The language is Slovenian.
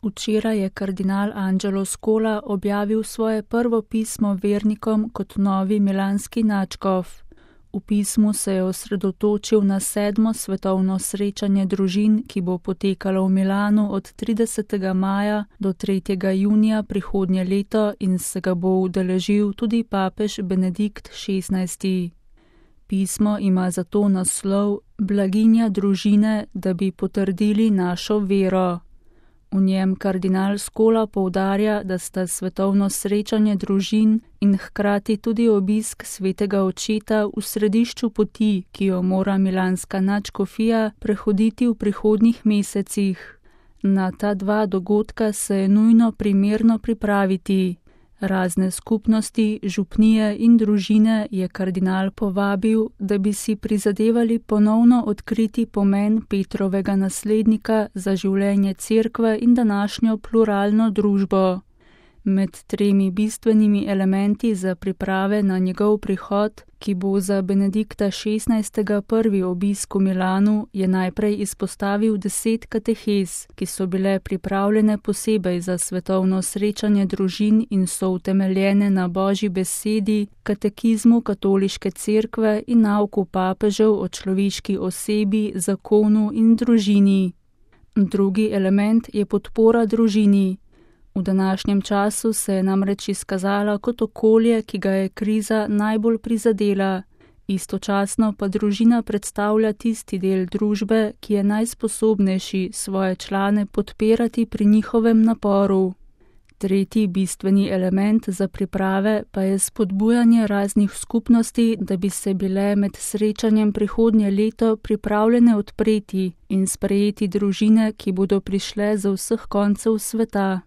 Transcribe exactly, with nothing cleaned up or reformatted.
Včeraj je kardinal Angelo Scola objavil svoje prvo pismo vernikom kot novi milanski nadškof. V pismu se je osredotočil na sedmo svetovno srečanje družin, ki bo potekalo v Milanu od tridesetega maja do tretjega junija prihodnje leto in se ga bo udeležil tudi papež Benedikt šestnajsti. Pismo ima zato naslov Blaginja družine, da bi potrdili našo vero. V njem kardinal Scola poudarja, da sta svetovno srečanje družin in hkrati tudi obisk svetega očeta v središču poti, ki jo mora milanska nadškofija prehoditi v prihodnjih mesecih. Na ta dva dogodka se je nujno primerno pripraviti. Razne skupnosti, župnije in družine je kardinal povabil, da bi si prizadevali ponovno odkriti pomen Petrovega naslednika za življenje cerkve in današnjo pluralno družbo. Med tremi bistvenimi elementi za priprave na njegov prihod, ki bo za Benedikta šestnajstega prvi obisk v Milanu, je najprej izpostavil deset katehez, ki so bile pripravljene posebej za svetovno srečanje družin in so utemeljene na Božji besedi, katekizmu katoliške cerkve in nauku papežev o človeški osebi, zakonu in družini. Drugi element je podpora družini. V današnjem času se je namreč izkazala kot okolje, ki ga je kriza najbolj prizadela. Istočasno pa družina predstavlja tisti del družbe, ki je najsposobnejši svoje člane podpirati pri njihovem naporu. Tretji bistveni element za priprave pa je spodbujanje raznih skupnosti, da bi se bile med srečanjem prihodnje leto pripravljene odpreti in sprejeti družine, ki bodo prišle z vseh koncev sveta.